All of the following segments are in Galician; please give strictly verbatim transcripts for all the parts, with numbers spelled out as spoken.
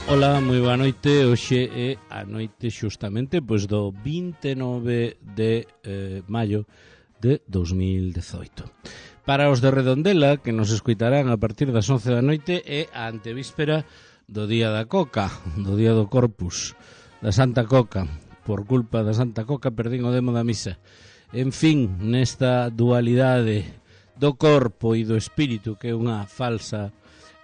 Ola, moi boa noite. Hoxe é a noite xustamente pois do vinte e nove de eh, maio de dos mil dezoito. Para os de Redondela, que nos escuitarán a partir das once da noite, é a antevíspera do Día da Coca, do Día do Corpus, da Santa Coca. Por culpa da Santa Coca perdín o demo da misa. En fin, nesta dualidade do corpo e do espírito, que é unha falsa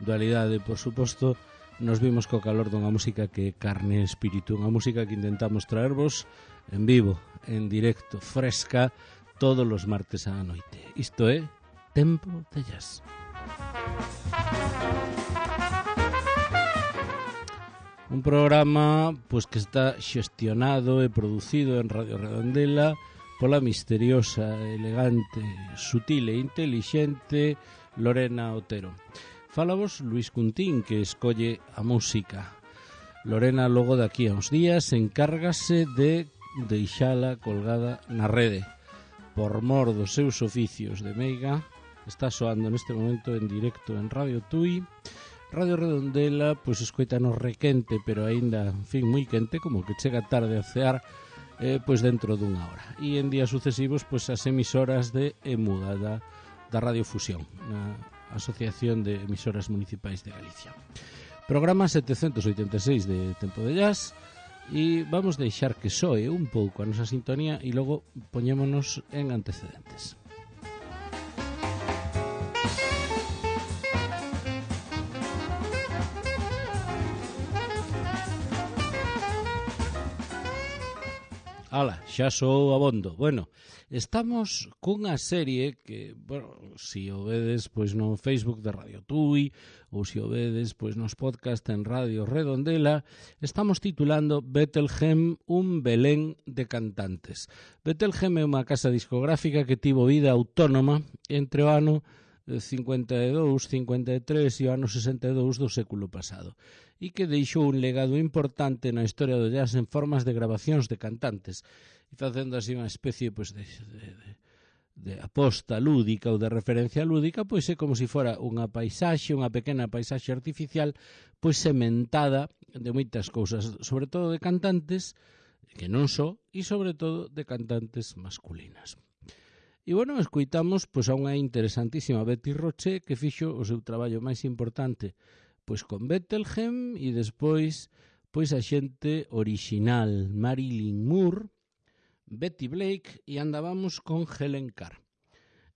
dualidade, por suposto, nos vimos co calor dunha música que é carne e espírito, unha música que intentamos traervos en vivo, en directo, fresca, todos os martes á noite. Isto é Tempo de Jazz. Un programa pois que está xestionado e producido en Radio Redondela pola misteriosa, elegante, sutil e intelixente Lorena Otero. Fálavos Luis Cuntín, que escolle a música. Lorena, logo daqui a uns días, encárgase de deixala colgada na rede. Por mor dos seus oficios de meiga, está soando neste momento en directo en Radio Tui. Radio Redondela, pois escoitanos requente, pero aínda, en fin, moi quente, como que chega tarde a cear, eh, pois dentro dunha hora. E en días sucesivos, pois as emisoras de Emuda, da, da Radio Fusión, na Asociación de Emisoras Municipais de Galicia. Programa setecentos oitenta e seis de Tempo de Jazz, e vamos deixar que soe un pouco a nosa sintonía e logo poñémonos en antecedentes. Ala, xa sou abondo. Bueno, estamos cunha serie que, bueno, si o vedes pois no Facebook de Radio Tui ou si o vedes pois nos podcast en Radio Redondela, estamos titulando Bethlehem, un Belén de cantantes. Bethlehem é unha casa discográfica que tivo vida autónoma entre o ano cincuenta e dous, cincuenta e tres e o ano sesenta e dous do século pasado, e que deixou un legado importante na historia do jazz en formas de grabacións de cantantes, e facendo así unha especie pois, de, de, de, de aposta lúdica ou de referencia lúdica, pois é como se fora unha paisaxe, unha pequena paisaxe artificial, pois sementada de moitas cousas, sobre todo de cantantes, que non só, e sobre todo de cantantes masculinas. E, bueno, escoitamos pois, a unha interesantísima Betty Roche que fixo o seu traballo máis importante pois con Bethlehem e despois pois a xente orixinal Marilyn Moore, Betty Blake e andábamos con Helen Carr.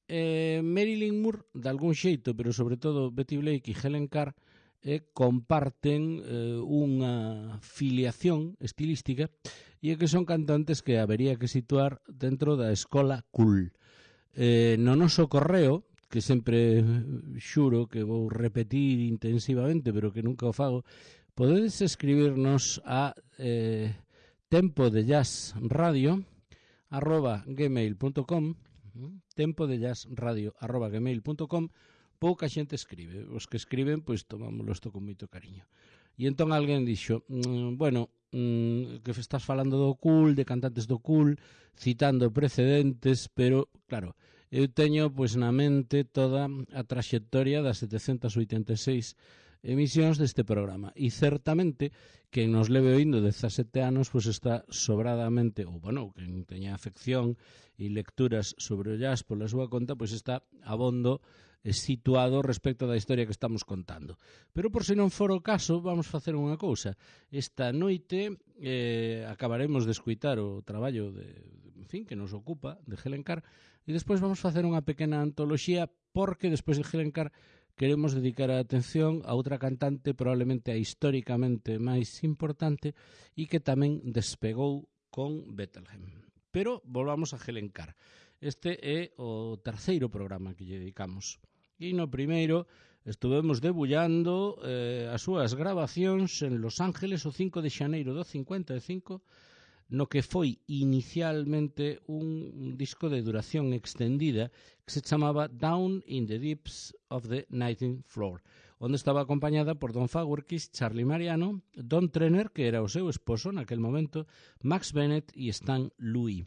Eh, Marilyn Moore, de algún xeito, pero sobre todo Betty Blake e Helen Carr eh, comparten eh, unha filiación estilística e que son cantantes que habería que situar dentro da escola cool. Eh, no noso correo, que sempre xuro que vou repetir intensivamente, pero que nunca o fago, podedes escribirnos a eh, tempo de jazz radio arroba gmail punto com, tempo de jazz radio arroba gmail punto com. Pouca xente escribe, os que escriben pois tomámoslo isto con moito cariño. E entón alguén dixo, mmm, bueno, mmm, que estás falando do cool, de cantantes do cool, citando precedentes, pero claro, eu teño pois na mente toda a traxectoria das setecentas oitenta e seis emisións deste programa, e certamente quen nos leve oindo dezasete anos pois está sobradamente, ou bueno, quen teña afección e lecturas sobre o jazz pola súa conta, pois está abondo situado respecto da historia que estamos contando. Pero por se non for o caso, vamos facer unha cousa. Esta noite eh, acabaremos de escuitar o traballo de, en fin, que nos ocupa, de Helen Carr, e despois vamos facer unha pequena antoloxía, porque despois de Helen Carr queremos dedicar a atención a outra cantante probablemente a históricamente máis importante e que tamén despegou con Bethlehem. Pero volvamos a Helen Carr. Este é o terceiro programa que lle dedicamos. E no primeiro estuvemos debullando eh, as súas grabacións en Los Ángeles o cinco de xaneiro do cincuenta e cinco, no que foi inicialmente un disco de duración extendida que se chamaba Down in the Deeps of the nineteenth Floor, onde estaba acompañada por Don Fagerquist, Charlie Mariano, Don Trenner, que era o seu esposo naquel momento, Max Bennett e Stan Louis.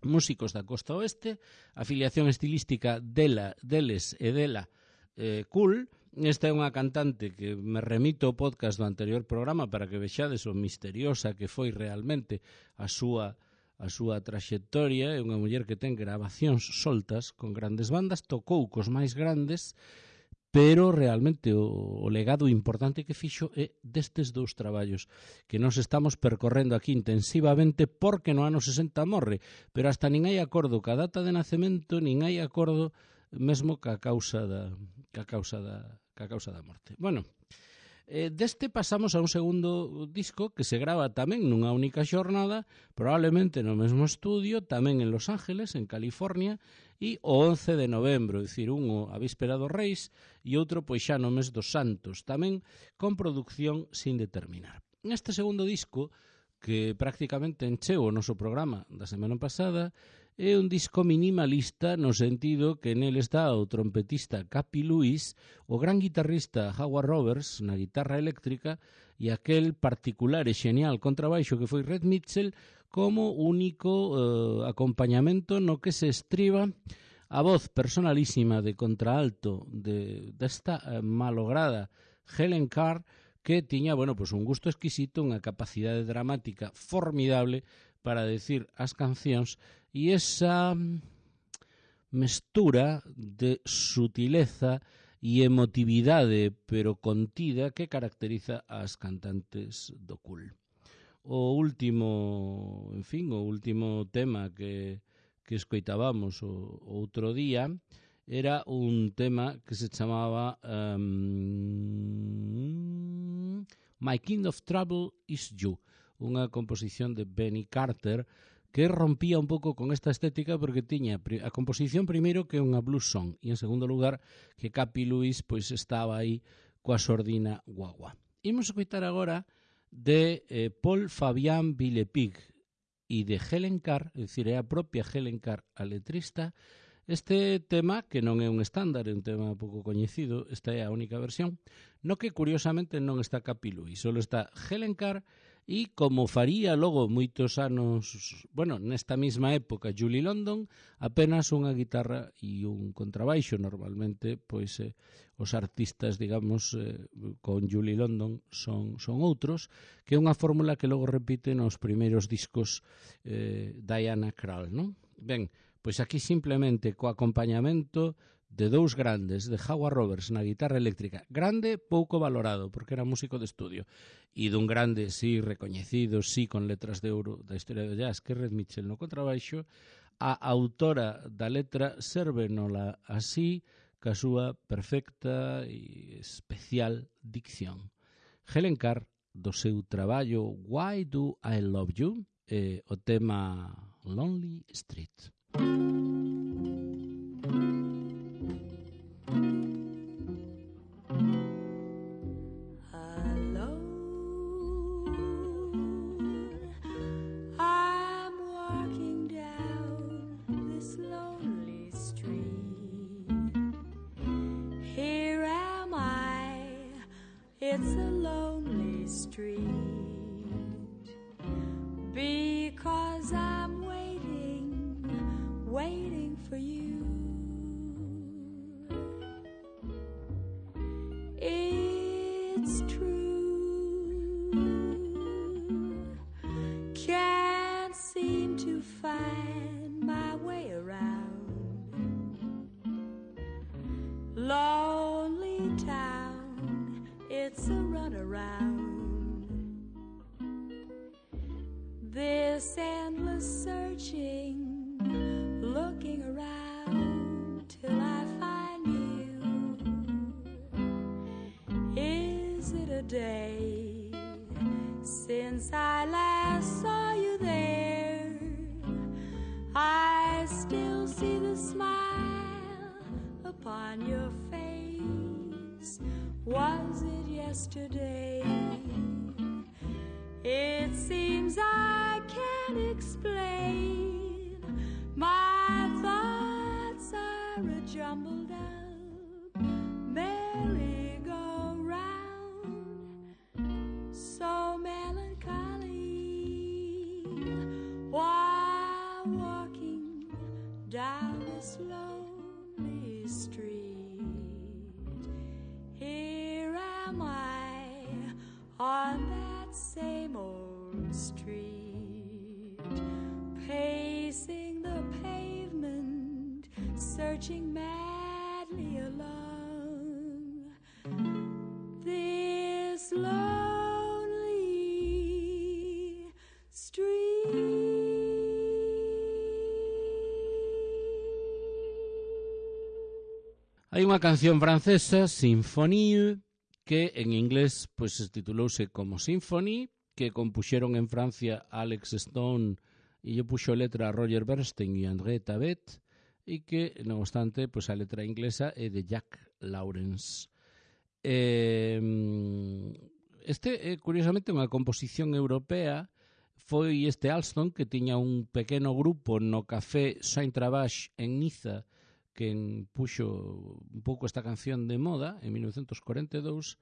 Músicos da costa oeste, a filiación estilística dela, deles e dela eh, cool, Esta é unha cantante que me remito ao podcast do anterior programa para que vexades o misteriosa que foi realmente a súa a súa traxectoria. É unha muller que ten grabacións soltas con grandes bandas, tocou cos máis grandes, pero realmente o, o legado importante que fixo é destes dous traballos que nos estamos percorrendo aquí intensivamente, porque no ano sesenta morre, pero hasta nin hai acordo ca data de nacemento, nin hai acordo mesmo ca causa da ca causa da ca causa da morte. Bueno, eh, deste pasamos a un segundo disco que se grava tamén nunha única xornada, probablemente no mesmo estudio, tamén en Los Ángeles, en California, e o once de novembro, é dicir, un a víspera dos Reis e outro pois xa no mes dos Santos, tamén con produción sin determinar. Neste segundo disco, que prácticamente encheu o noso programa da semana pasada, é un disco minimalista no sentido que nel está o trompetista Cappy Lewis, o gran guitarrista Howard Roberts na guitarra eléctrica e aquel particular e xenial contrabaixo que foi Red Mitchell como único eh, acompañamento no que se estriba a voz personalísima de contraalto de, desta eh, malograda Helen Carr, que tiña, bueno, pues un gusto exquisito, unha capacidade dramática formidable para decir as cancións e esa mestura de sutileza e emotividade pero contida que caracteriza as cantantes do cool. O último, en fin, o último tema que, que escoitábamos o, o outro día era un tema que se chamaba um, My Kind of Trouble is You, unha composición de Benny Carter que rompía un pouco con esta estética porque tiña a composición primeiro que é unha blues song e en segundo lugar que Cappy Lewis pois estaba aí coa sordina guagua. Imos escoitar agora de eh, Paul Fabian Villepig e de Helen Carr, é dicir, é a propia Helen Carr a letrista. Este tema, que non é un estándar, é un tema pouco coñecido, esta é a única versión, no que curiosamente non está Cappy Lewis, só está Helen Carr e como faría logo moitos anos, bueno, nesta mesma época, Julie London, apenas unha guitarra e un contrabaixo. Normalmente, pois, eh, os artistas, digamos, eh, con Julie London son, son outros, que é unha fórmula que logo repite nos primeiros discos eh, Diana Krall, non? Ben, pois aquí simplemente co acompañamento de dous grandes, de Howard Roberts na guitarra eléctrica, grande, pouco valorado, porque era músico de estudio, e dun grande, sí, recoñecido, sí, con letras de ouro da historia do jazz, que é Red Mitchell no contrabaixo, a autora da letra sérvenola así, ca súa perfecta e especial dicción. Helen Carr, do seu traballo Why Do I Love You, eh, o tema Lonely Street. It's a lonely street because I'm waiting, waiting for you. It's true, can't seem to find my way around. Lonely town, it's a runaround. This endless searching, looking around till I find you. Is it a day since I last saw you there? I still see the smile upon your face. Was it yesterday? It seems I can't explain. My thoughts are a jumbled up merry-go-round, so melancholy while walking down this lonely street. street, pacing the pavement, searching madly along this lonely street. Hai unha canción francesa, Symphonie, que en inglés pues, titulouse como Symphony, que compuxeron en Francia Alex Stone e lle puxo letra a Roger Bernstein e André Tabet, e que, non obstante, pues, a letra inglesa é de Jack Lawrence. Eh, este é, curiosamente, unha composición europea. Foi este Alston que tiña un pequeno grupo no Café Saint-Travage en Niza, que puxo un pouco esta canción de moda en mil novecentos cuarenta e dous,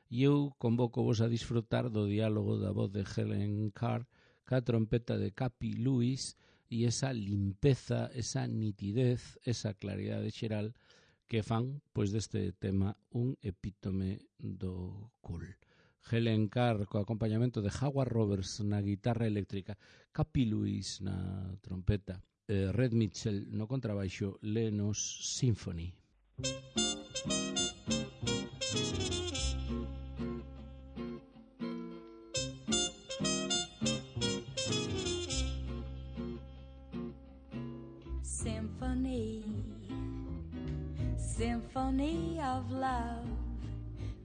e eu convoco vos a disfrutar do diálogo da voz de Helen Carr ca trompeta de Capi Lewis e esa limpeza, esa nitidez, esa claridade xeral que fan pois deste tema un epítome do cool. Helen Carr co acompañamento de Howard Roberts na guitarra eléctrica, Capi Lewis na trompeta, Red Mitchell no contrabaixo, lenos Symphony. Symphony, symphony of love,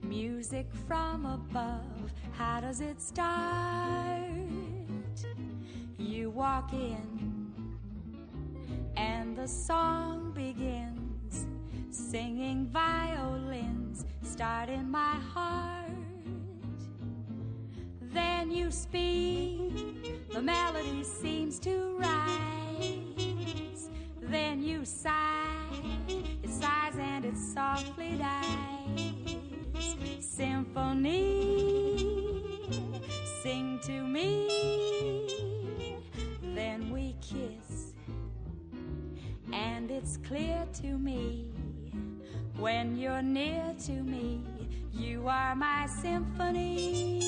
music from above. How does it start? You walk in and the song begins, singing violins start in my heart. Then you speak, the melody seems to rise. Then you sigh, it sighs and it softly dies. Symphony, sing to me. Then we kiss, and it's clear to me, when you're near to me, you are my symphony.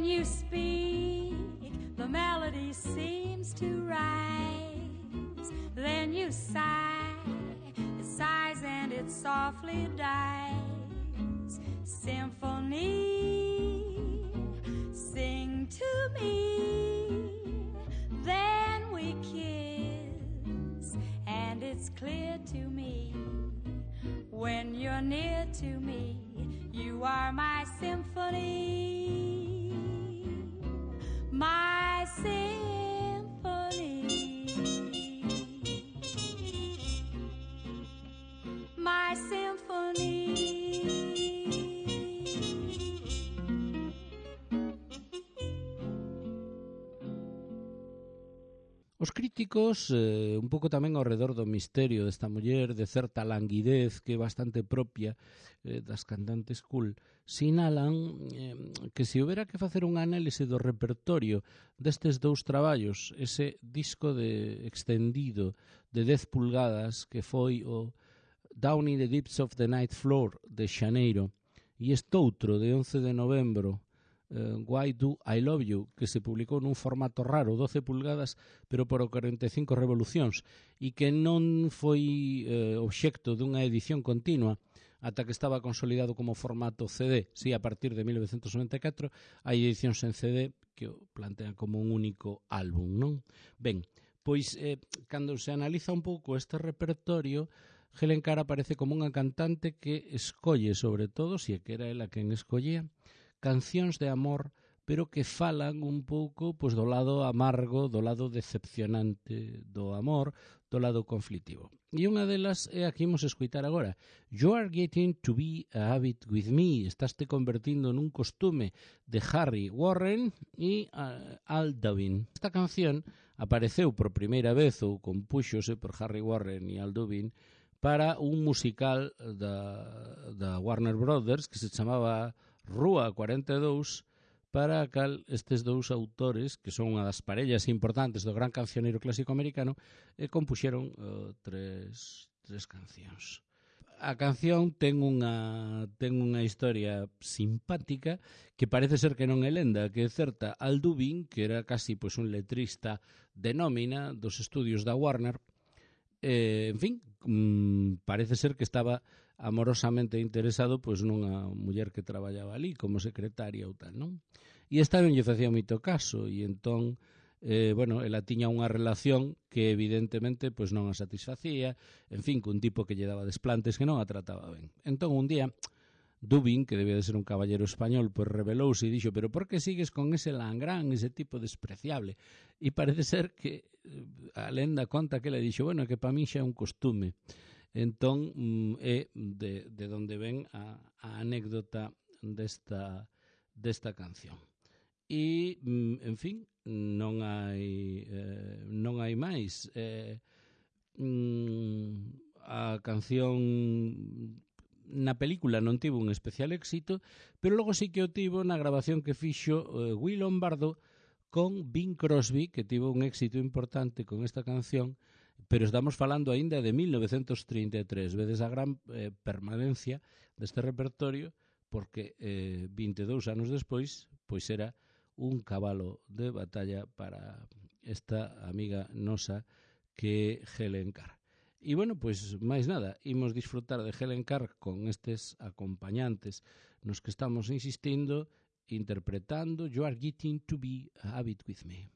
You speak, the melody seems to rise. Then you sigh, it sighs and it softly dies. Symphony, sing to me. Then we kiss, and it's clear to me, when you're near to me, you are my symphony. My symphony, my symphony. Os críticos, eh, un pouco tamén ao redor do misterio desta muller, de certa languidez que é bastante propia eh, das cantantes cool, sinalan eh, que se houbera que facer un análise do repertorio destes dous traballos, ese disco de extendido de dez pulgadas que foi o Down in the Deeps of the Night Floor de Xaneiro e este outro de once de novembro, Uh, Why Do I Love You, que se publicou nun formato raro, doce pulgadas, pero por cuarenta e cinco revolucións, e que non foi uh, obxecto dunha edición continua ata que estaba consolidado como formato C D. Si, a partir de mil novecentos noventa e catro hai edicións en C D que o plantean como un único álbum, non? Ben, pois, eh, cando se analiza un pouco este repertorio, Helen Carr aparece como unha cantante que escolle, sobre todo, se que era ela quen escollía, cancións de amor pero que falan un pouco pois, do lado amargo, do lado decepcionante do amor, do lado conflitivo. E unha delas é a que imos escoitar agora. You are getting to be a habit with me. Estás te convertindo nun costume, de Harry Warren e uh, Al Dubin. Esta canción apareceu por primeira vez ou compúxose por Harry Warren e Al Dubin para un musical da, da Warner Brothers que se chamaba Rúa cuarenta e dous, para a cal estes dous autores, que son unha das parellas importantes do gran cancioneiro clásico americano, e compuxeron uh, tres, tres cancións. A canción ten unha, ten unha historia simpática que parece ser que non é lenda, que é certa. Al Dubin, que era casi pois, un letrista de nómina dos estudios da Warner, eh, en fin, mmm, parece ser que estaba amorosamente interesado pois nunha muller que traballaba ali como secretaria ou tal, non? E esta non lle facía moito caso e entón, eh, bueno, ela tiña unha relación que evidentemente pois non a satisfacía, en fin, cun tipo que lle daba desplantes que non a trataba ben. Entón un día Dubin, que debía de ser un caballero español, pois rebelouse e dixo, pero por que sigues con ese langrán, ese tipo despreciable? E parece ser que a lenda conta que ela dixo, bueno, que para mí xa é un costume. Entón, é de, de onde ven a, a anécdota desta, desta canción. E, en fin, non hai, eh, non hai máis. Eh, a canción na película non tivo un especial éxito, pero logo sí que o tivo na grabación que fixo eh, Will Lombardo con Bing Crosby, que tivo un éxito importante con esta canción, pero estamos falando aínda de mil novecentos trinta e tres, vedes a gran eh, permanencia deste repertorio, porque eh, vinte e dous anos despois, pois era un cabalo de batalla para esta amiga nosa que é Helen Carr. E, bueno, pois, máis nada, imos disfrutar de Helen Carr con estes acompañantes nos que estamos insistindo, interpretando You Are Getting to Be a Habit with Me.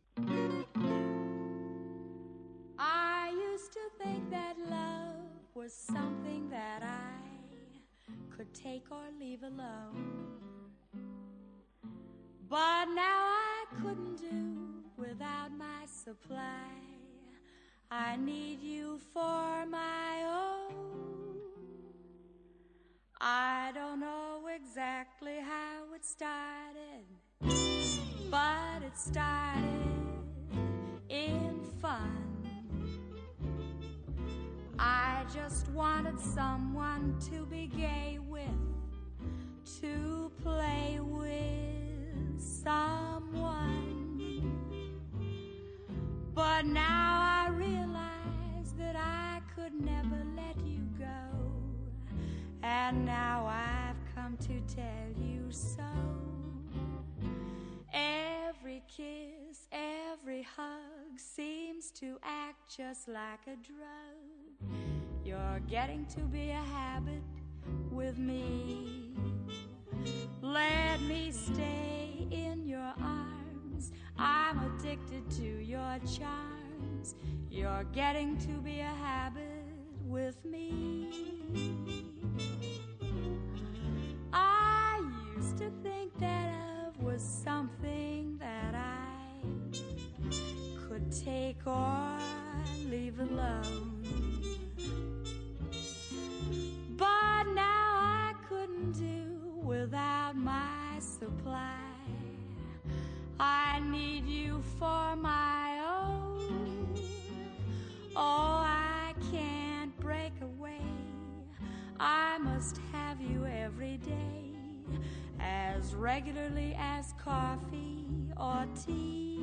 I used to think that love was something that I could take or leave alone, but now I couldn't do without my supply. I need you for my own. I don't know exactly how it started, but it started in fun. I just wanted someone to be gay with, to play with someone. But now I realize that I could never let you go, and now I've come to tell you so. Every kiss, every hug seems to act just like a drug. You're getting to be a habit with me. Let me stay in your arms, I'm addicted to your charms. You're getting to be a habit with me. I used to think that love was something that I could take or leave alone, but now I couldn't do without my supply. I need you for my own. Oh, I can't break away, I must have you every day, as regularly as coffee or tea.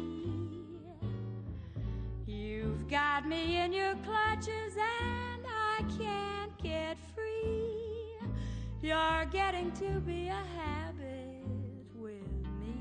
You've got me in your clutches and I can't get free. You're getting to be a habit with me.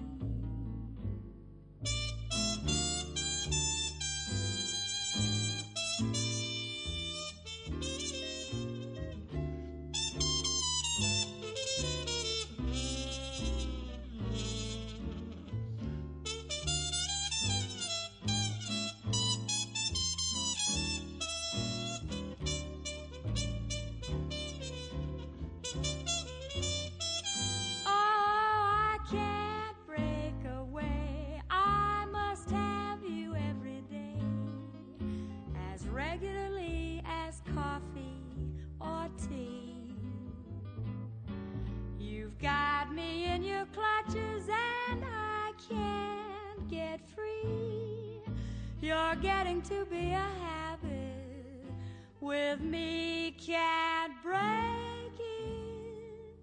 You're getting to be a habit. With me, can't break it.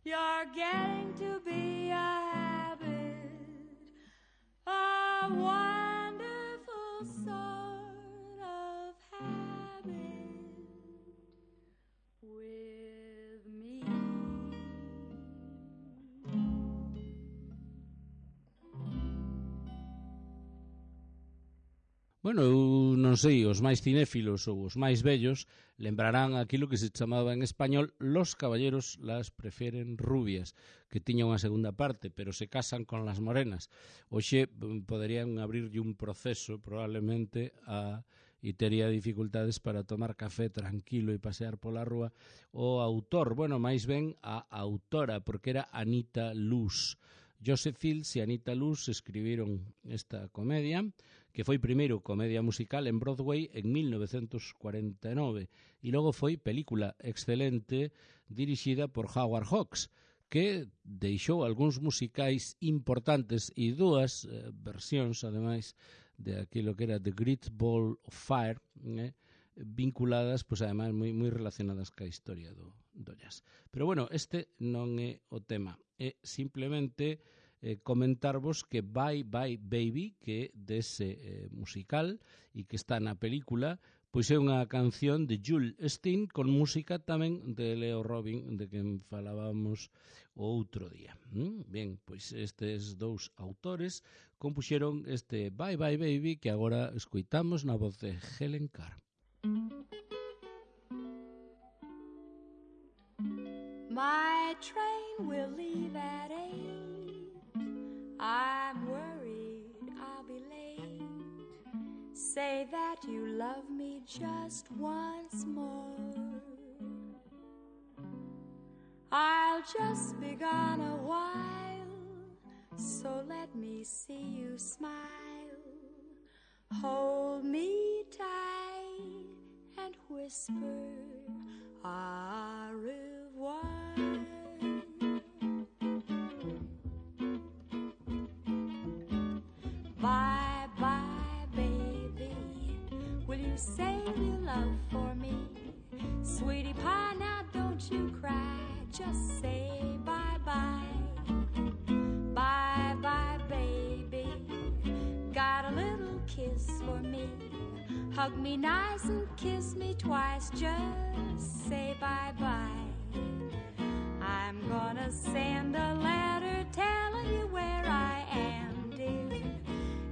You're getting to be a habit. A wonderful sort of habit with me. Bueno, eu non sei, os máis cinéfilos ou os máis vellos lembrarán aquilo que se chamaba en español Los caballeros las prefieren rubias, que tiña unha segunda parte, pero se casan con las morenas. Oxe, poderían abrirlle un proceso probablemente a e tería dificultades para tomar café tranquilo e pasear pola rúa o autor, bueno, máis ben a autora, porque era Anita Loos. Joseph Fields e Anita Loos escribiron esta comedia, que foi primeiro comedia musical en Broadway en mil novecientos cuarenta e nove e logo foi película excelente dirixida por Howard Hawks, que deixou algúns musicais importantes e dúas eh, versións, ademais, de aquilo que era The Great Ball of Fire, eh, vinculadas, pois ademais, moi, moi relacionadas ca historia do, do jazz. Pero bueno, este non é o tema. É simplemente eh, comentarvos que Bye Bye Baby, que dese eh, musical e que está na película, pois é unha canción de Jules Steen con música tamén de Leo Robin, de quen falábamos o outro día. ¿Mm? Bien, pois estes dous autores compuxeron este Bye Bye Baby que agora escoitamos na voz de Helen Carr. My train will leave at eight. I'm worried I'll be late. Say that you love me just once more. I'll just be gone a while, so let me see you smile. Hold me tight and whisper au revoir. Bye bye baby, will you save your love for me? Sweetie pie, now don't you cry, just say bye bye. Bye bye baby, got a little kiss for me. Hug me nice and kiss me twice, just say bye-bye. I'm gonna send a letter telling you where I am, dear.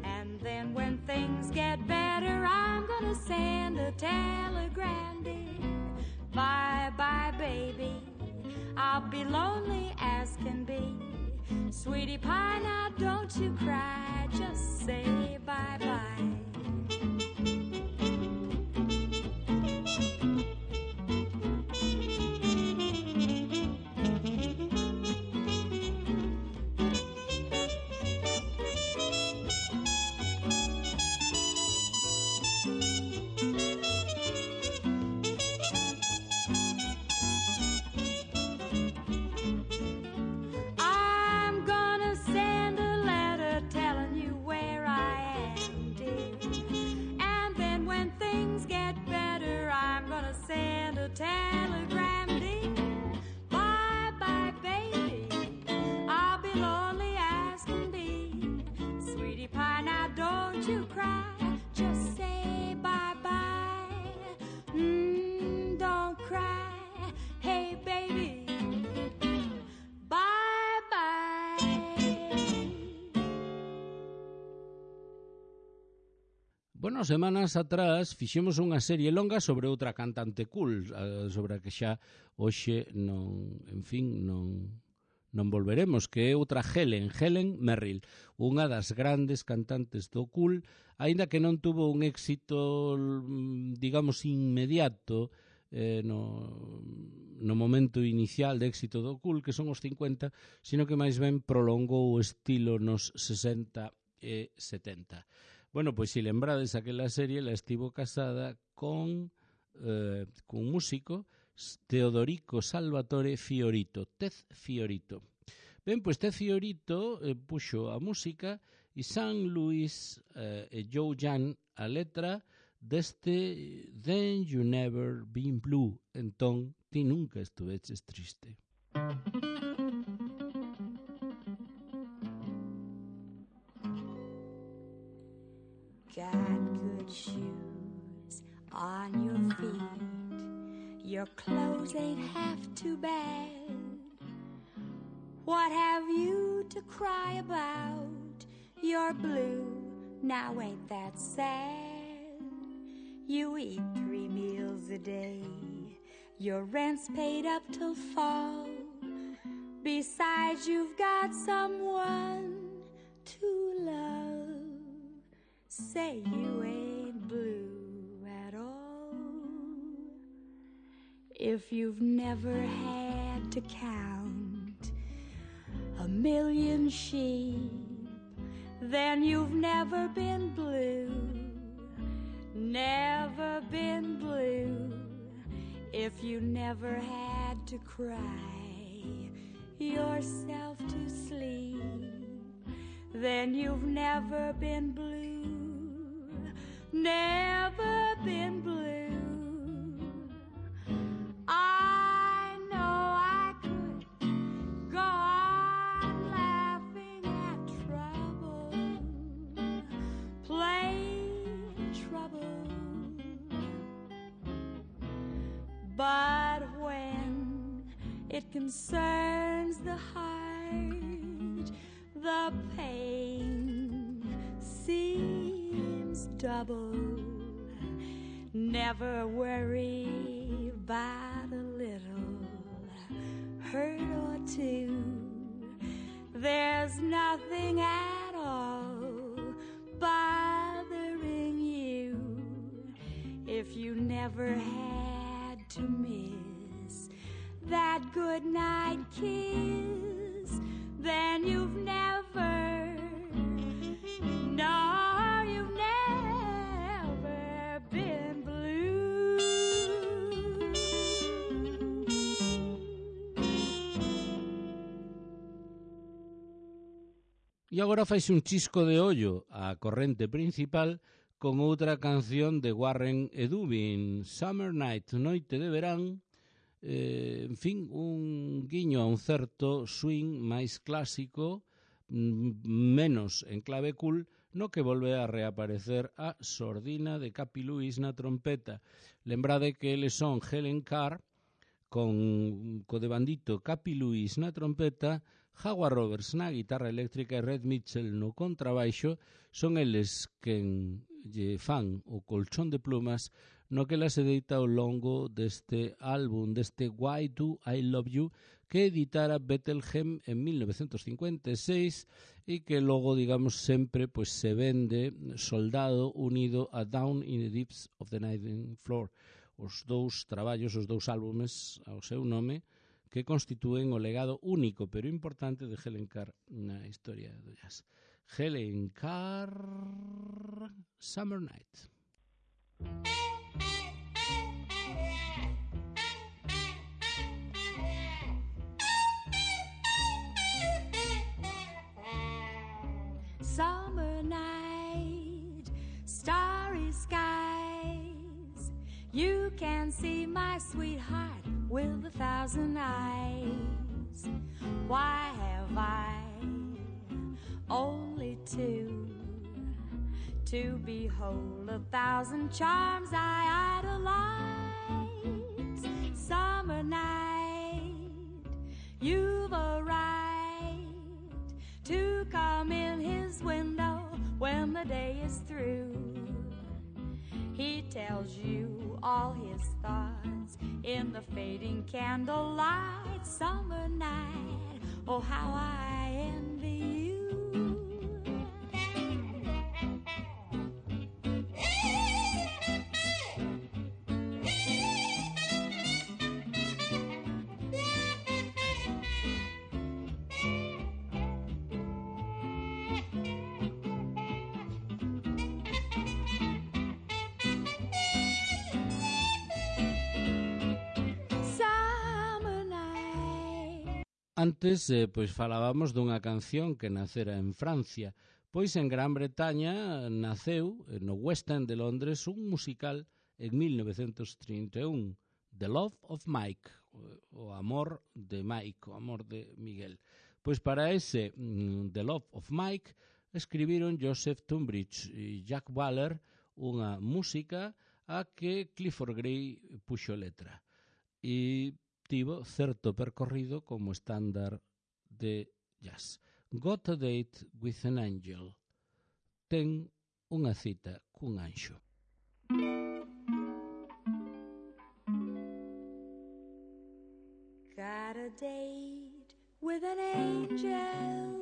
And then when things get better, I'm gonna send a telegram, dear. Bye-bye, baby, I'll be lonely as can be. Sweetie pie, now don't you cry, just say bye-bye. Telegram, dear. Bye bye, baby. I'll be lonely as can be. Sweetie pie, now don't you cry. Just say bye bye. Mm, don't cry. Hey, baby. Bye bye. Bueno, semanas atrás fixemos unha serie longa sobre outra cantante cool, sobre a que xa hoxe non, en fin, non non volveremos, que é outra Helen, Helen Merrill, unha das grandes cantantes do cool, aínda que non tuvo un éxito, digamos, inmediato eh, no, no momento inicial de éxito do cool, que son os cincuenta, sino que máis ben prolongou o estilo nos sesenta e setenta. Bueno, pois se lembrades aquela serie, la estivo casada con, eh, con un músico, Teodorico Salvatore Fiorito, Ted Fiorito. Ben, pois Ted Fiorito eh, puxo a música e San Luis eh, e Joe Jan a letra deste Then You Never Been Blue, entón ti nunca estuveches triste. Got good shoes on your feet, your clothes ain't half too bad. What have you to cry about? You're blue, now ain't that sad? You eat three meals a day, your rent's paid up till fall. Besides, you've got someone to love. Say you ain't blue at all. If you've never had to count a million sheep, then you've never been blue, never been blue. If you never had to cry yourself to sleep, then you've never been blue, never been blue. I know I could go on laughing at trouble, plain trouble, but when it concerns the heart, the pain seems double. Never worry about a little hurt or two. There's nothing at all bothering you. If you never had to miss that goodnight kiss, then you've never, no, you've never been blue. E agora faise un chisco de ollo á corrente principal con outra canción de Warren e Dubin, Summer Night, Noite de Verán. Eh, en fin, un guiño a un certo swing máis clásico, menos en clave cool, no que volve a reaparecer a sordina de Capi Lewis na trompeta. Lembrade que eles son Helen Carr, con co de bandito Capi Lewis na trompeta, Howard Roberts na guitarra eléctrica e Red Mitchell no contrabaixo. Son eles quen lle fan o colchón de plumas no que la se deita ao longo deste álbum, deste Why Do I Love You, que editara Bethlehem en mil novecientos cincuenta e seis e que logo, digamos, sempre pois, se vende soldado unido a Down in the Deeps of the Ninth Floor. Os dous traballos, os dous álbumes ao seu nome, que constitúen o legado único pero importante de Helen Carr na historia do jazz. Helen Carr, Summer Night. Summer night, starry skies, you can see my sweetheart with a thousand eyes. Why have I only two to behold a thousand charms I idolize? Summer night, you've arrived to come in his window when the day is through. He tells you all his thoughts in the fading candlelight. Summer night, oh how I envy you. Antes, eh, pois falábamos dunha canción que nacera en Francia, Pois en Gran Bretaña naceu no West End de Londres un musical en mil novecentos trinta e un, The Love of Mike, o amor de Mike, o amor de Miguel. Pois para ese mm, The Love of Mike escribiron Joseph Tunbridge e Jack Waller unha música a que Clifford Gray puxo letra. E tivo certo percorrido como estándar de jazz. Got a Date with an Angel. Ten unha cita cun anxo. Got a date with an angel.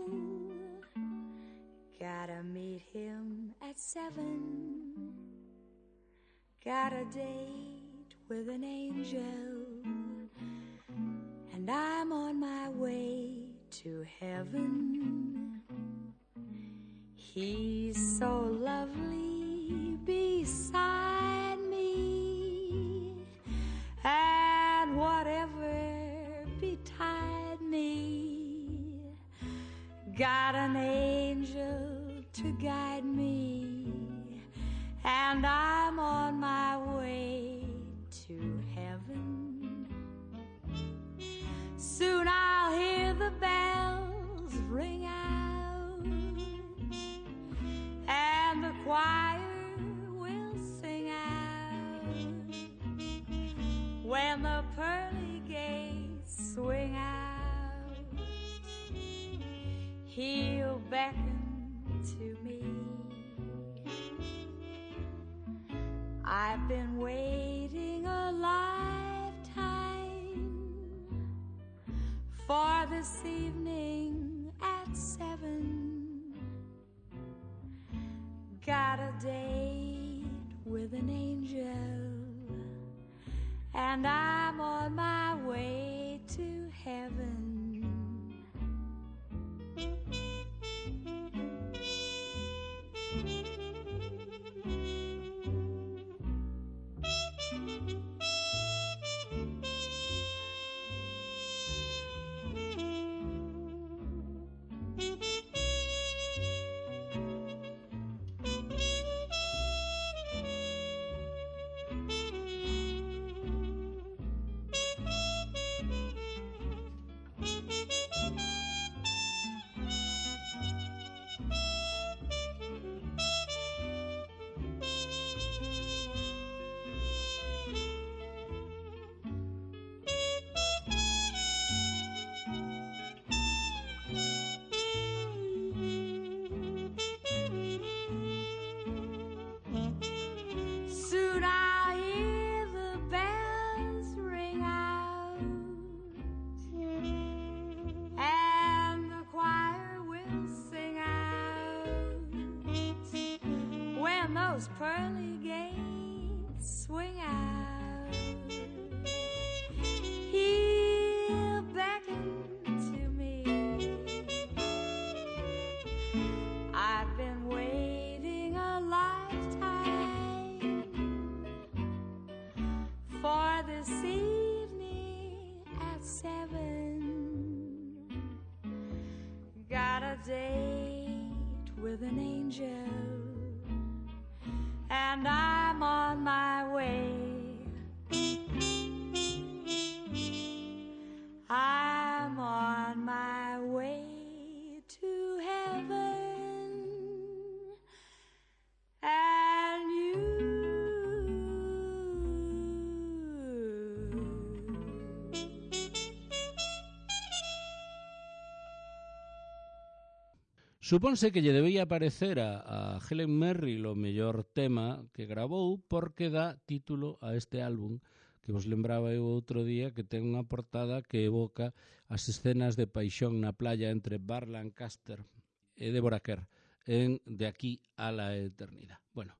Gotta meet him at seven. Got a date with an angel, and I'm on my way to heaven. He's so lovely beside me, and whatever betide me, got an angel to guide me, and I'm on my way to heaven. Soon I'll hear the bells ring out, and the choir will sing out. When the pearly gates swing out, he'll beckon to me. I've been waiting a lifetime for this evening at seven. Got a date with an angel, and I'm on my way to heaven. Those pearly gates swing out, he'll beckon to me. I've been waiting a lifetime for this evening at seven. Got a date with an angel, and I'm on my way. I'm on my way to heaven, and you. Supónse que lle debía parecer a, a Helen Merrill o mellor tema que grabou porque dá título a este álbum que vos lembraba eu outro día, que ten unha portada que evoca as escenas de paixón na playa entre Burt Lancaster e Deborah Kerr en De aquí a la eternidad. Bueno,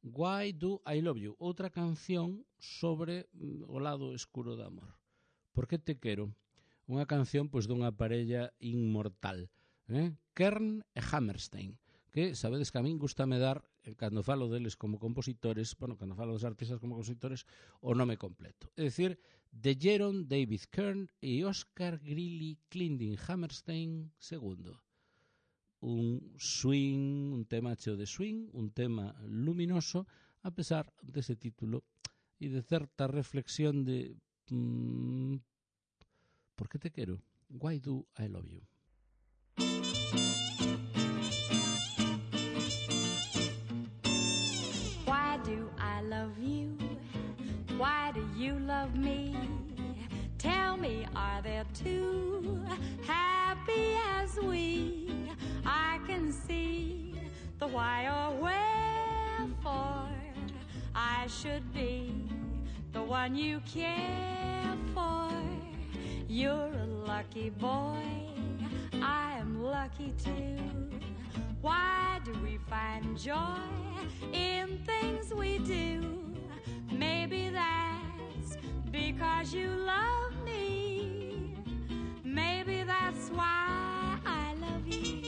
Why Do I Love You? Outra canción sobre o lado escuro do amor. Por que te quero? Unha canción pois dunha parella inmortal, eh? Kern e Hammerstein, que sabedes que a min gustame dar, cando falo deles como compositores, bueno, cando falo dos artistas como compositores, o nome completo. É dicir, de Jeron David Kern e Oscar Greeley Clending Hammerstein segundo. un swing, un tema cheo de swing, un tema luminoso, a pesar dese título e de certa reflexión de mmm, ¿por que te quero? Why do I love you? Why do I love you? Why do you love me? Tell me, are there two happy as we? I can see the why or wherefore I should be the one you care for. You're a lucky boy, I am lucky too. Why do we find joy in things we do? Maybe that's because you love me. Maybe that's why I love you.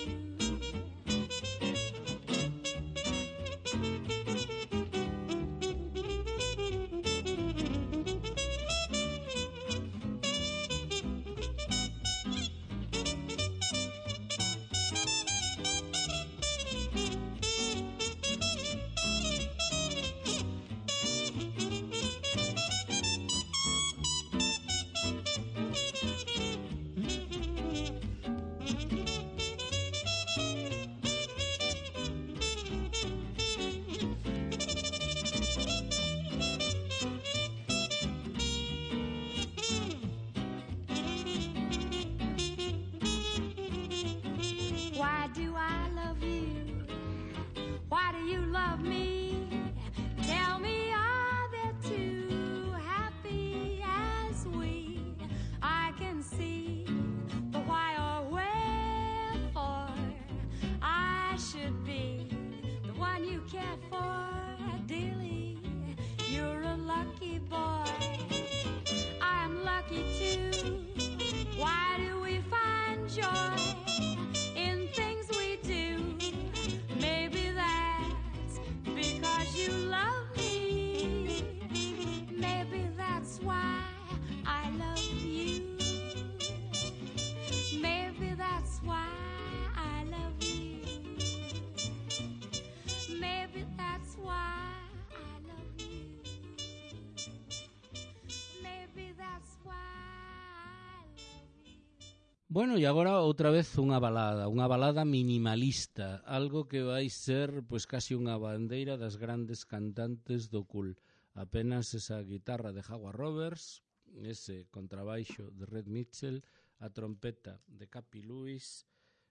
Bueno, e agora outra vez unha balada, unha balada minimalista, algo que vai ser pois casi unha bandeira das grandes cantantes do cool. Apenas esa guitarra de Howard Roberts, ese contrabaixo de Red Mitchell, a trompeta de Cappy Lewis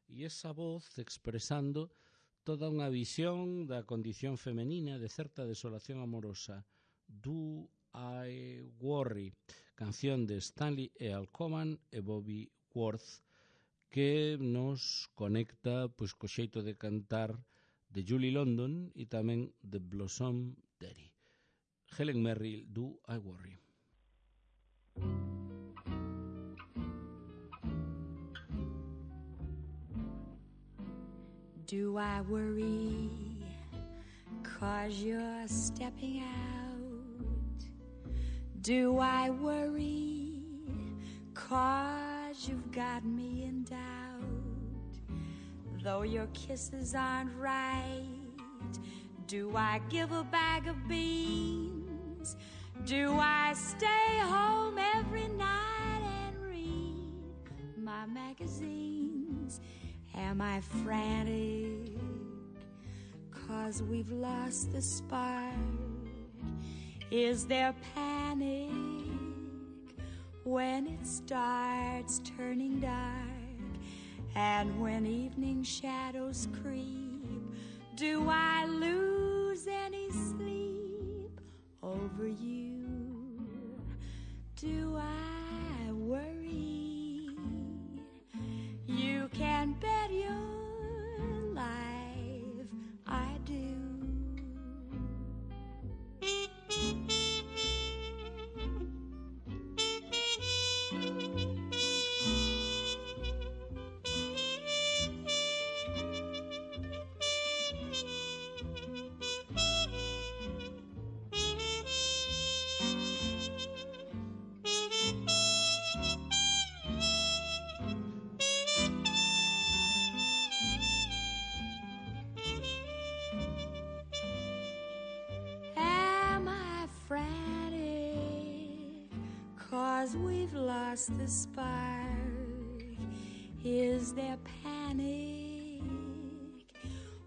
e esa voz expresando toda unha visión da condición femenina de certa desolación amorosa. Do I Worry, canción de Stanley E. Alcoman e Bobby Worth, que nos conecta pois co xeito de cantar de Julie London e tamén de Blossom Derry. Helen Merrill, Do I Worry. Do I worry 'cause you're stepping out? Do I worry 'cause you've got me in doubt? Though your kisses aren't right, do I give a bag of beans? Do I stay home every night and read my magazines? Am I frantic 'cause we've lost the spark? Is there panic when it starts turning dark? And when evening shadows creep, do I lose any sleep over you? Do I worry? You can bet your life I do. 'cause we've lost the spark. Is there panic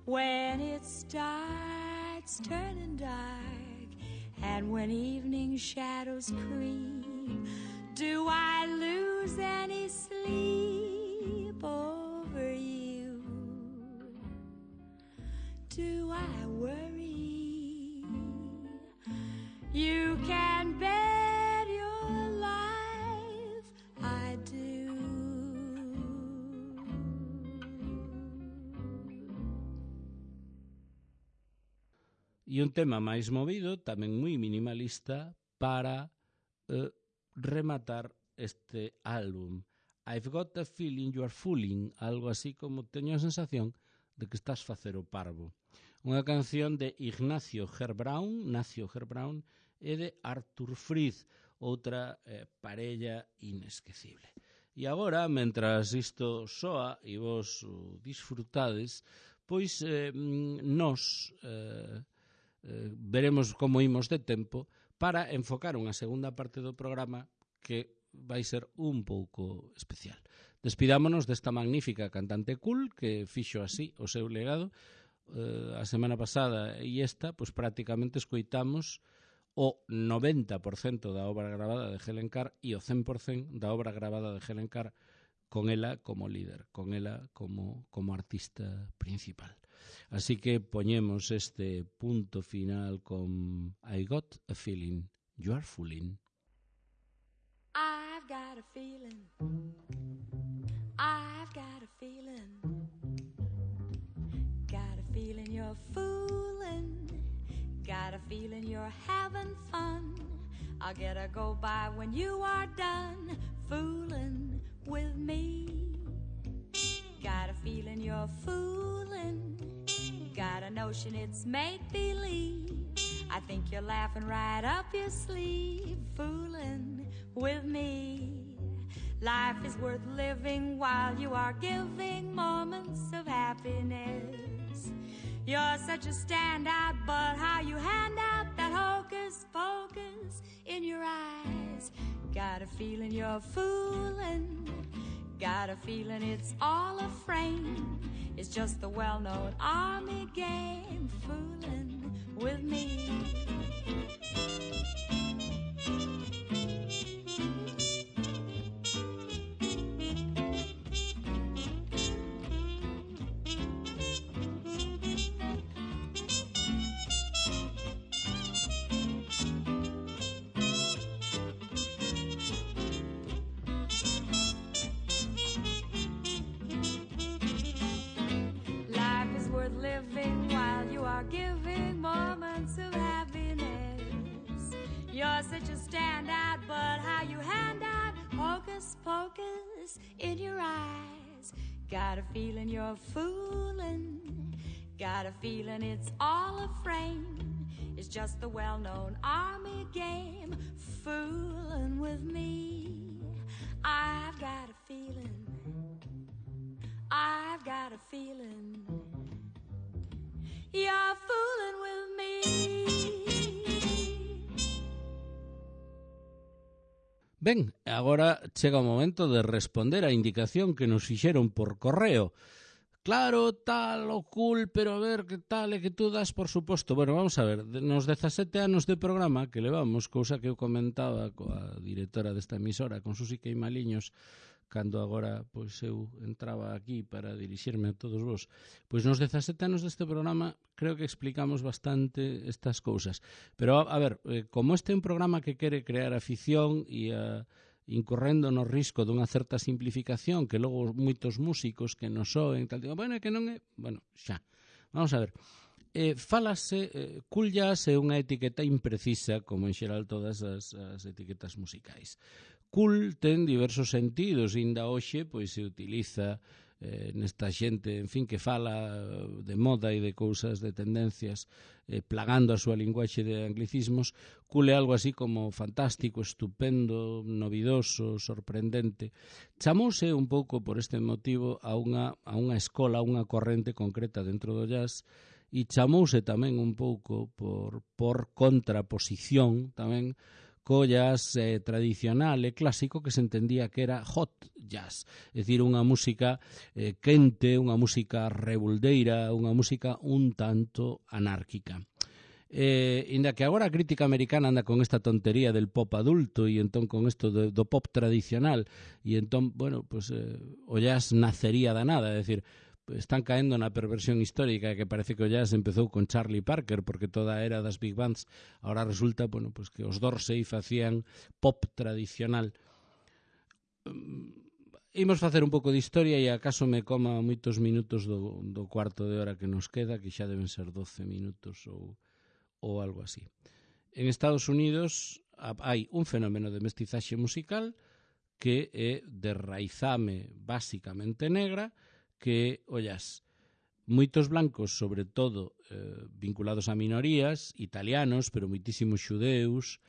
when it starts turning dark, and when evening shadows creep? Do I lose any sleep over you? Do I worry? You can bet your life I do. E un tema máis movido, tamén moi minimalista, para eh, rematar este álbum. I've got a feeling you are fooling, algo así como teño a sensación de que estás facer o parvo. Unha canción de Ignacio Herbrand, Nacio Herbrand, e de Arthur Freed, outra eh, parella inesquecible. E agora, mentras isto soa e vos o disfrutades, pois eh, nos eh, eh, veremos como imos de tempo para enfocar unha segunda parte do programa que vai ser un pouco especial. Despidámonos desta magnífica cantante cool que fixo así o seu legado. Eh, a semana pasada e esta, pois prácticamente escoitamos o noventa por cento da obra grabada de Helen Carr e o cen por cento da obra grabada de Helen Carr con ela como líder, con ela como, como artista principal. Así que poñemos este punto final con I got a feeling you are fooling. I've got a feeling, I've got a feeling, got a feeling you're fooling, got a feeling you're having fun. I'll get a go by when you are done fooling with me. Got a feeling you're fooling, got a notion it's make-believe. I think you're laughing right up your sleeve, fooling with me. Life is worth living while you are giving moments of happiness. You're such a standout, but how you hand out that hocus pocus in your eyes. Got a feeling you're fooling, got a feeling it's all a frame. It's just the well-known army game, fooling with me. Living while you are giving moments of happiness. You're such a standout, but how you hand out hocus pocus in your eyes. Got a feeling you're fooling, got a feeling it's all a frame. It's just the well-known army game, fooling with me. I've got a feeling, I've got a feeling you're fooling with me. Ben, agora chega o momento de responder á indicación que nos fixeron por correo. Claro, tal, o cool, pero a ver, que tal, e que tú das, por suposto. Bueno, vamos a ver, nos dezasete anos de programa que levamos, cousa que eu comentaba coa directora desta emisora, con Susi Queimaliños, cando agora pois eu entraba aquí para dirixirme a todos vos. Pois nos dezasete anos deste programa creo que explicamos bastante estas cousas. Pero, a, a ver, eh, como este é un programa que quere crear afición e a, incorrendo no risco dunha certa simplificación que logo moitos músicos que nos soen, tal, digo, bueno, é que non é... Bueno, xa. Vamos a ver. Eh, falase, eh, cool jazz é unha etiqueta imprecisa, como en xeral todas as, as etiquetas musicais. Cool ten diversos sentidos, inda hoxe pois se utiliza eh, nesta xente, en fin, que fala de moda e de cousas, de tendencias, eh, plagando a súa linguaxe de anglicismos. Cool é algo así como fantástico, estupendo, novidoso, sorprendente. Chamouse un pouco por este motivo a unha, a unha escola, a unha corrente concreta dentro do jazz, e chamouse tamén un pouco por, por contraposición tamén co jazz eh, tradicional e clásico que se entendía que era hot jazz, é dicir, unha música eh, quente, unha música revoldeira, unha música un tanto anárquica. Eh, inda que agora a crítica americana anda con esta tontería del pop adulto e entón con isto do, do pop tradicional e entón, bueno, pues eh, o jazz nacería da nada, é dicir, están caendo na perversión histórica que parece que o jazz empezou con Charlie Parker porque toda a era das big bands agora resulta, bueno, pues que os Dorsey facían pop tradicional. Imos facer un pouco de historia e acaso me coma moitos minutos do, do cuarto de hora que nos queda, que xa deben ser doce minutos ou ou algo así. En Estados Unidos hai un fenómeno de mestizaxe musical que é de raizame basicamente negra, que, ollas, moitos blancos, sobre todo eh, vinculados a minorías, italianos, pero moitísimos xudeus,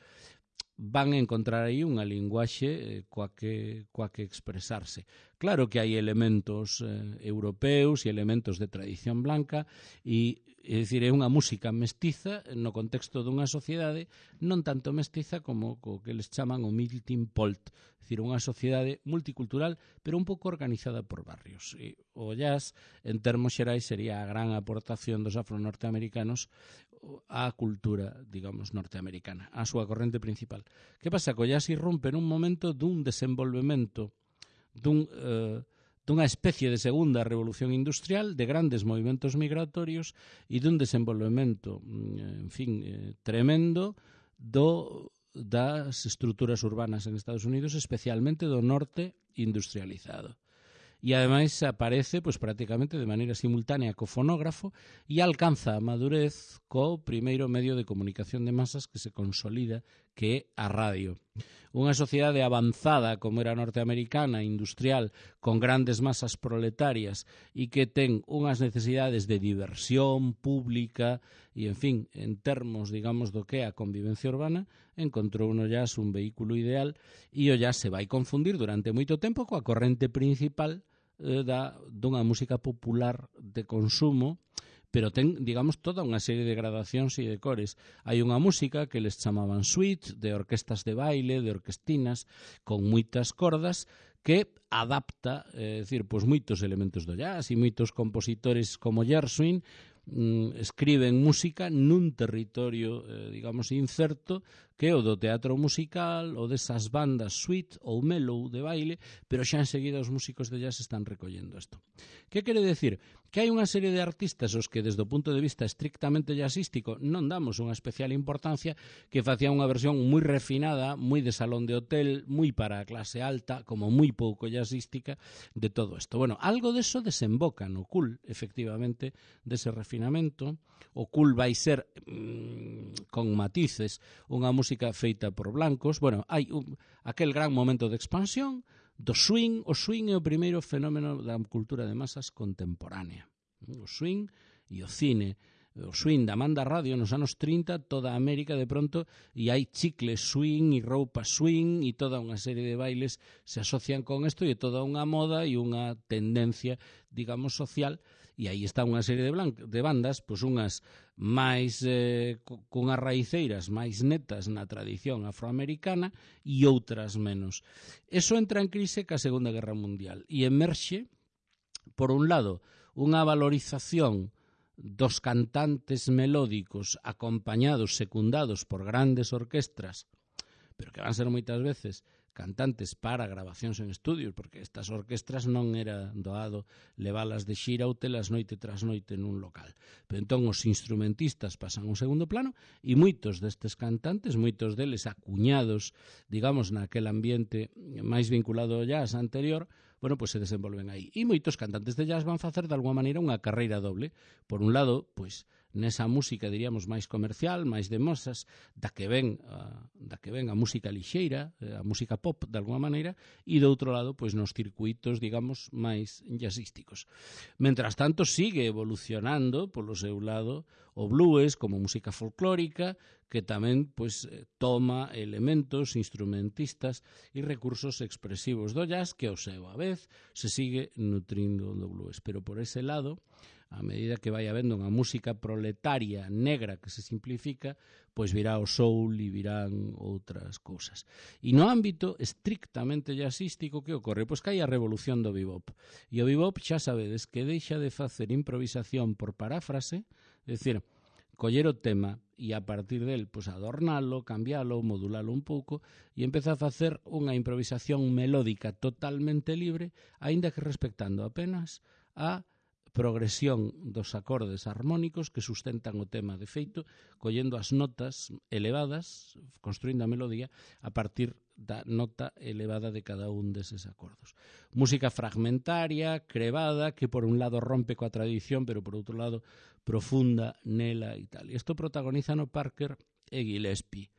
van a encontrar aí unha linguaxe eh, coa, que, coa que expresarse. Claro que hai elementos eh, europeus e elementos de tradición blanca e, é dicir, é unha música mestiza no contexto dunha sociedade non tanto mestiza como o que les chaman o melting pot, é dicir, unha sociedade multicultural pero un pouco organizada por barrios. E o jazz, en termos xerais, sería a gran aportación dos afro-norteamericanos á cultura, digamos, norteamericana, á súa corrente principal. Que pasa? Que o jazz irrompe nun momento dun desenvolvemento, dun, eh, dunha especie de segunda revolución industrial, de grandes movimentos migratorios e dun desenvolvemento, en fin, eh, tremendo do, das estruturas urbanas en Estados Unidos, especialmente do norte industrializado. E ademais aparece pues, prácticamente de maneira simultánea co fonógrafo e alcanza a madurez co primeiro medio de comunicación de masas que se consolida, que é a radio. Unha sociedade avanzada como era a norteamericana, industrial, con grandes masas proletarias e que ten unhas necesidades de diversión pública e, en fin, en termos, digamos, do que é a convivencia urbana, encontrou no jazz un vehículo ideal e o jazz se vai confundir durante moito tempo coa corrente principal Da, dunha música popular de consumo, pero ten, digamos, toda unha serie de gradacións e de cores. Hai unha música que les chamaban suite, de orquestas de baile, de orquestinas, con moitas cordas, que adapta, é dicir, pois moitos elementos do jazz e moitos compositores como Gershwin mm, escriben música nun territorio, eh, digamos, incerto, que é o do teatro musical, ou desas bandas suite ou mellow de baile, pero xa enseguida os músicos de jazz están recollendo isto. Que quere decir? Que hai unha serie de artistas os que desde o punto de vista estrictamente jazzístico non damos unha especial importancia, que facían unha versión moi refinada, moi de salón de hotel, moi para a clase alta, como moi pouco jazzística de todo isto. Bueno, algo deso desemboca no cool, efectivamente, dese refinamento. O cool vai ser, mmm, con matices, unha música feita por blancos. Bueno, hai un, aquel gran momento de expansión do swing. O swing é o primeiro fenómeno da cultura de masas contemporánea. O swing e o cine. O swing da manda radio nos anos trinta, toda a América de pronto, e hai chicles swing e roupa swing e toda unha serie de bailes se asocian con isto e toda unha moda e unha tendencia, digamos, social. E aí está unha serie de, de bandas, pois unhas máis eh, cunhas raiceiras máis netas na tradición afroamericana e outras menos. Eso entra en crise ca Segunda Guerra Mundial e emerxe, por un lado, unha valorización dos cantantes melódicos acompañados, secundados por grandes orquestras, pero que van ser moitas veces cantantes para grabacións en estudios, porque estas orquestras non era doado levalas de xira ou telas noite tras noite nun local. Pero entón os instrumentistas pasan a un segundo plano e moitos destes cantantes, moitos deles acuñados, digamos, naquel ambiente máis vinculado ao jazz anterior, bueno, pois se desenvolven aí. E moitos cantantes de jazz van facer de alguma maneira unha carreira doble. Por un lado, pois, nesa música, diríamos, máis comercial, máis de mosas, da que ven a, da que ven a música lixeira, a música pop, de alguma maneira, e do outro lado, pois, nos circuitos, digamos, máis jazzísticos. Mentras tanto, sigue evolucionando, polo seu lado, o blues como música folclórica, que tamén, pois, toma elementos instrumentistas e recursos expresivos do jazz, que, ao seu a vez, se sigue nutrindo do blues. Pero por ese lado, a medida que vai habendo unha música proletaria negra que se simplifica, pois virá o soul e virán outras cousas. E no ámbito estrictamente jazzístico, que ocorre? Pois que hai a revolución do bebop. E o bebop xa sabedes que deixa de facer improvisación por paráfrase, é dicir, coller o tema e a partir del pois adornalo, cambialo, modulalo un pouco e empeza a facer unha improvisación melódica totalmente libre, aínda que respectando apenas a progresión dos acordes armónicos que sustentan o tema. De feito, collendo as notas elevadas, construindo a melodía a partir da nota elevada de cada un deses acordos. Música fragmentaria, crevada, que por un lado rompe coa tradición, pero por outro lado profunda nela e tal. Isto protagonizan o Parker e Gillespie.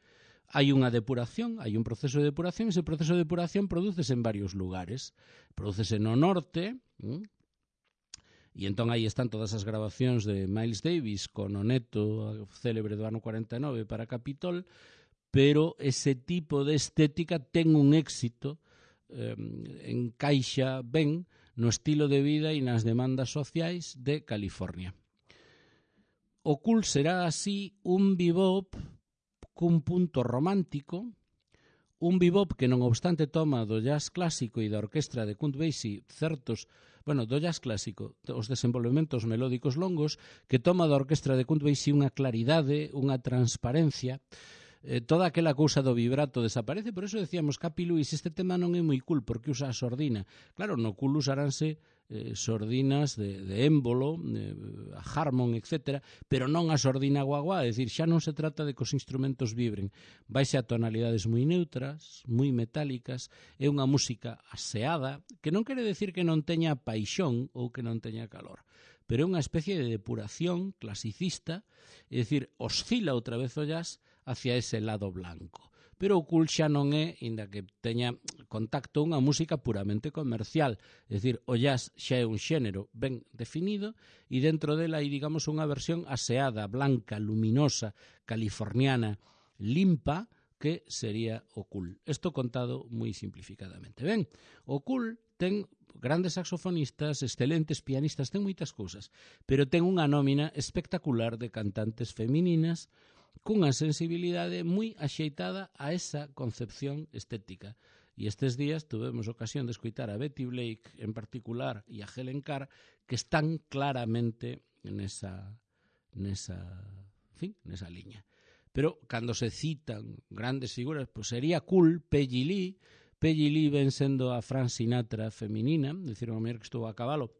Hai unha depuración, hai un proceso de depuración, e ese proceso de depuración prodúcese en varios lugares. Prodúcese no norte, ¿m? E entón aí están todas as grabacións de Miles Davis con o neto célebre do ano cuarenta e nove para Capitol, pero ese tipo de estética ten un éxito, eh, encaixa ben no estilo de vida e nas demandas sociais de California. O cool será así un bebop cun punto romántico, un bebop que non obstante toma do jazz clásico e da orquestra de Count Basie certos, bueno, do jazz clásico, os desenvolvementos melódicos longos, que toma da orquestra de Count Basie unha claridade, unha transparencia, eh, toda aquela cousa do vibrato desaparece. Por eso decíamos, Capi Lewis, este tema non é moi cool porque usa a sordina. Claro, no cool usaránse eh, sordinas de, de émbolo, eh, Harmon, etcétera, pero non a sordina guaguá, é dicir, xa non se trata de que os instrumentos vibren, vaise a tonalidades moi neutras, moi metálicas, é unha música aseada, que non quere decir que non teña paixón ou que non teña calor, pero é unha especie de depuración clasicista, é dicir, oscila outra vez o jazz hacia ese lado blanco. Pero o cool xa non é, inda que teña contacto, unha música puramente comercial. É dicir, o jazz xa é un xénero ben definido e dentro dela hai, digamos, unha versión aseada, blanca, luminosa, californiana, limpa, que sería o cool. Isto contado moi simplificadamente. Ben, o cool ten grandes saxofonistas, excelentes pianistas, ten moitas cousas, pero ten unha nómina espectacular de cantantes femininas cunha sensibilidade moi axeitada a esa concepción estética. E estes días tuvemos ocasión de escoitar a Betty Blake en particular e a Helen Carr, que están claramente nesa, nesa, en fin, nesa liña. Pero cando se citan grandes figuras, pues sería cool Peggy Lee. Peggy Lee ven sendo a Frank Sinatra feminina, decir, unha muller que estuvo a cabalo.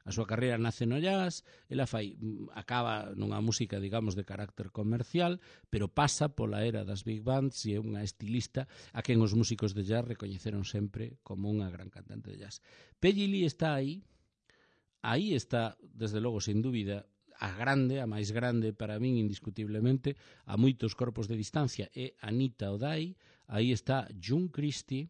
A súa carreira nace no jazz, ela fai, acaba nunha música, digamos, de carácter comercial, pero pasa pola era das big bands e é unha estilista a quen os músicos de jazz recoñeceron sempre como unha gran cantante de jazz. Peggy Lee está aí, aí está, desde logo, sin dúbida, a grande, a máis grande para min indiscutiblemente, a moitos corpos de distancia, é Anita O'Day, aí está June Christie,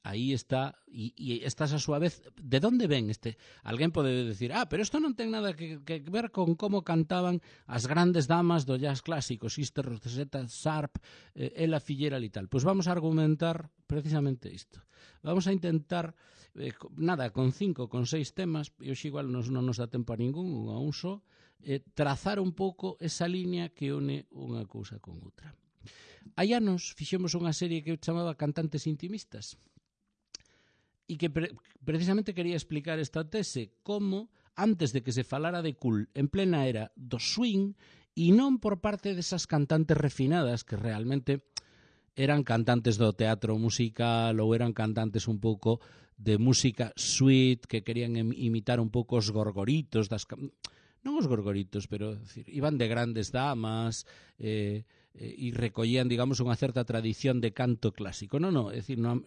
aí está, e, e estás a súa vez, de onde ven este? Alguén pode decir, ah, pero isto non ten nada que, que ver con como cantaban as grandes damas do jazz clásico, Sister Rosetta Sharp, eh, Ella Fitzgerald e tal. Pois vamos a argumentar precisamente isto. Vamos a intentar, eh, nada, con cinco, con seis temas, e hoxe igual nos, non nos dá tempo a ningún, a un só, eh, trazar un pouco esa liña que une unha cousa con outra. Hai anos fixemos unha serie que chamaba Cantantes Intimistas, e que pre precisamente quería explicar esta tese, como antes de que se falara de cool en plena era do swing, e non por parte desas cantantes refinadas que realmente eran cantantes do teatro musical ou eran cantantes un pouco de música sweet que querían imitar un pouco os gorgoritos das... non os gorgoritos, pero decir, iban de grandes damas, eh, e recollían, digamos, unha certa tradición de canto clásico. Non, non, é dicir, no,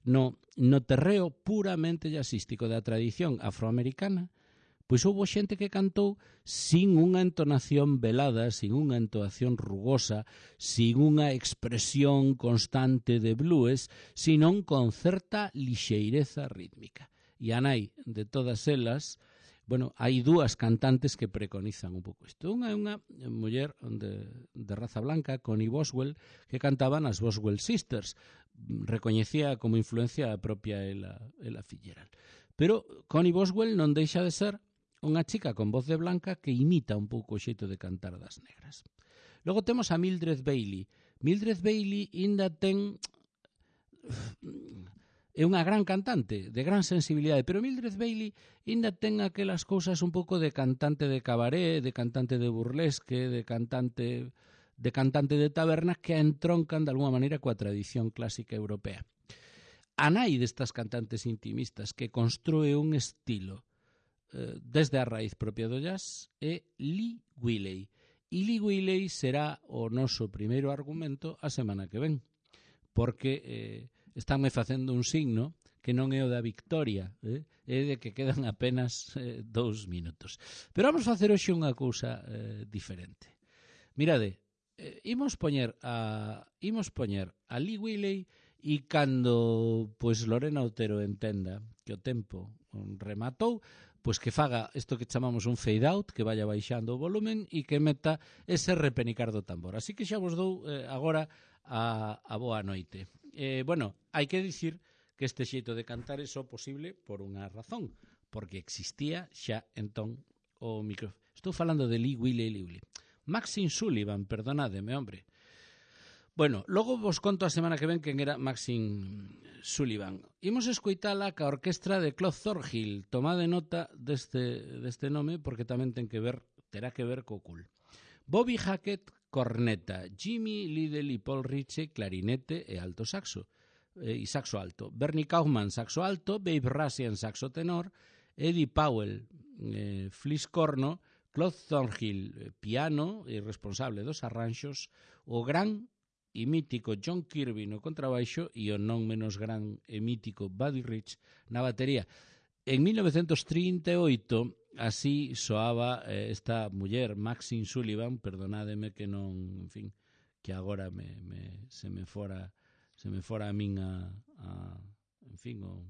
no, no terreo puramente jazzístico da tradición afroamericana, pois houve xente que cantou sin unha entonación velada, sin unha entonación rugosa, sin unha expresión constante de blues, senón con certa lixeireza rítmica. E a nai de todas elas, bueno, hai dúas cantantes que preconizan un pouco isto. Unha é unha muller de, de raza blanca, Connie Boswell, que cantaban as Boswell Sisters. Recoñecía como influencia a propia Ella, Ella Fitzgerald. Pero Connie Boswell non deixa de ser unha chica con voz de blanca que imita un pouco o xeito de cantar das negras. Logo temos a Mildred Bailey. Mildred Bailey ainda ten... é unha gran cantante, de gran sensibilidade, pero Mildred Bailey ainda ten aquelas cousas un pouco de cantante de cabaré, de cantante de burlesque, de cantante de cantante de taberna que entroncan de alguma maneira coa tradición clásica europea. A nai destas cantantes intimistas que construe un estilo eh, desde a raíz propia do jazz é Lee Wiley. E Lee Wiley será o noso primeiro argumento a semana que ven, porque eh, estánme facendo un signo que non é o da victoria, eh? É de que quedan apenas eh, dous minutos. Pero vamos facer hoxe unha cousa eh, diferente. Mirade, eh, imos poñer a imos poñer a Lee Wiley e cando pois Lorena Otero entenda que o tempo rematou, pois que faga isto que chamamos un fade out, que vaya baixando o volumen e que meta ese repenicar do tambor. Así que xa vos dou eh, agora a, a boa noite. Eh, bueno, hai que dicir que este xeito de cantar é só posible por unha razón, porque existía xa entón o micro... Estou falando de Lee Wiley, Lee Wiley. Maxine Sullivan, perdonádeme, hombre. Bueno, logo vos conto a semana que ven quen era Maxine Sullivan. Imos escoitala ca orquestra de Claude Thornhill. Tomade nota deste, deste nome porque tamén ten que ver, terá que ver co cool. Bobby Hackett, corneta. Jimmy Liddell e Paul Ritchie, clarinete e alto saxo. E saxo alto. Bernie Kaufman, saxo alto. Babe Russian, saxo tenor. Eddie Powell, eh, fliscorno. Claude Thornhill, piano e responsable dos arranxos. O gran e mítico John Kirby no contrabaixo e o non menos gran e mítico Buddy Rich na batería. En mil novecentos trinta e oito así soaba eh, esta muller, Maxine Sullivan, perdonádeme que non, en fin, que agora me, me, se me fora se me fora a min a, a en fin, o,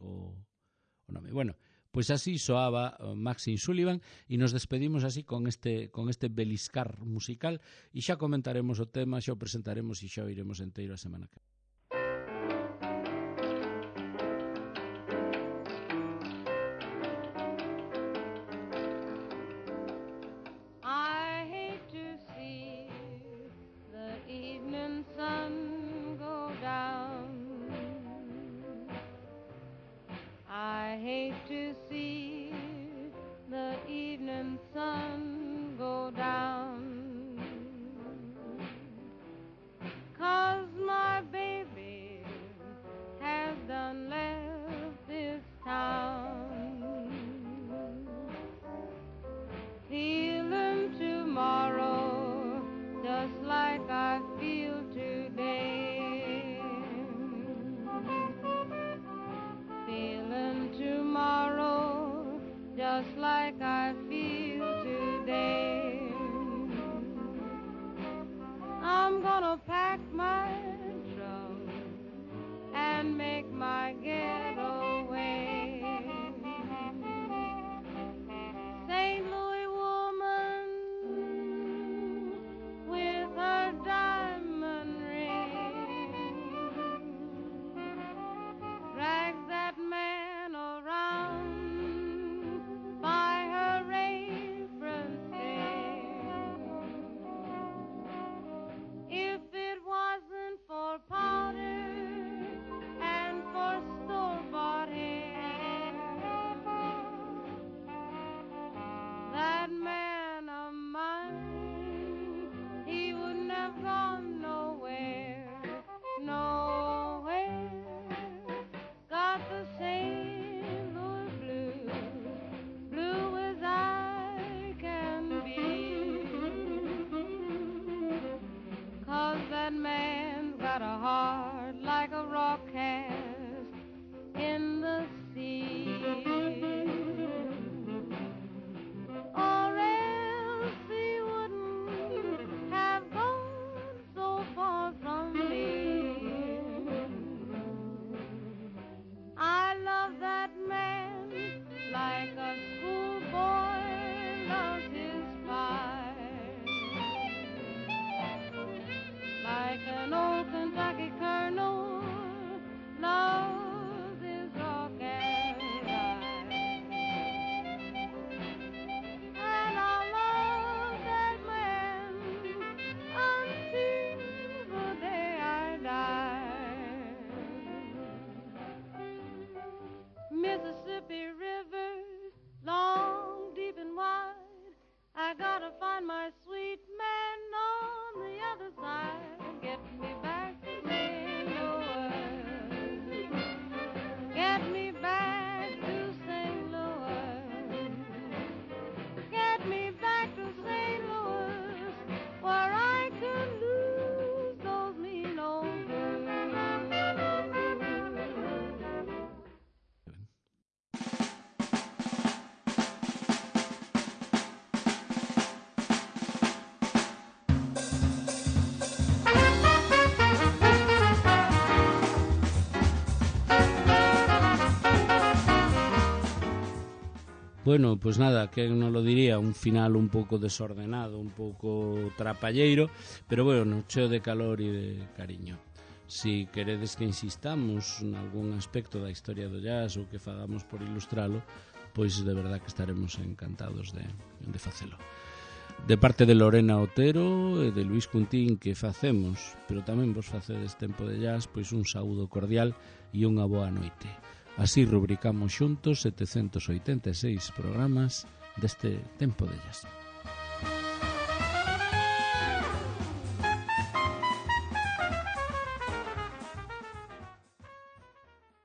o, o nome. Bueno, pois así soaba Maxine Sullivan e nos despedimos así con este con este beliscar musical e xa comentaremos o tema, xa o presentaremos e xa o iremos enteiro a semana que Bueno, pois pues nada, que non lo diría, un final un pouco desordenado, un pouco trapalleiro, pero bueno, cheo de calor e de cariño. Si queredes que insistamos en algún aspecto da historia do jazz ou que fagamos por ilustralo, pois de verdad que estaremos encantados de, de facelo. De parte de Lorena Otero e de Luis Cuntín, que facemos, pero tamén vos facedes Tempo de Jazz, pois un saúdo cordial e unha boa noite. Así rubricamos xuntos setecentos oitenta e seis programas deste Tempo de Jazz.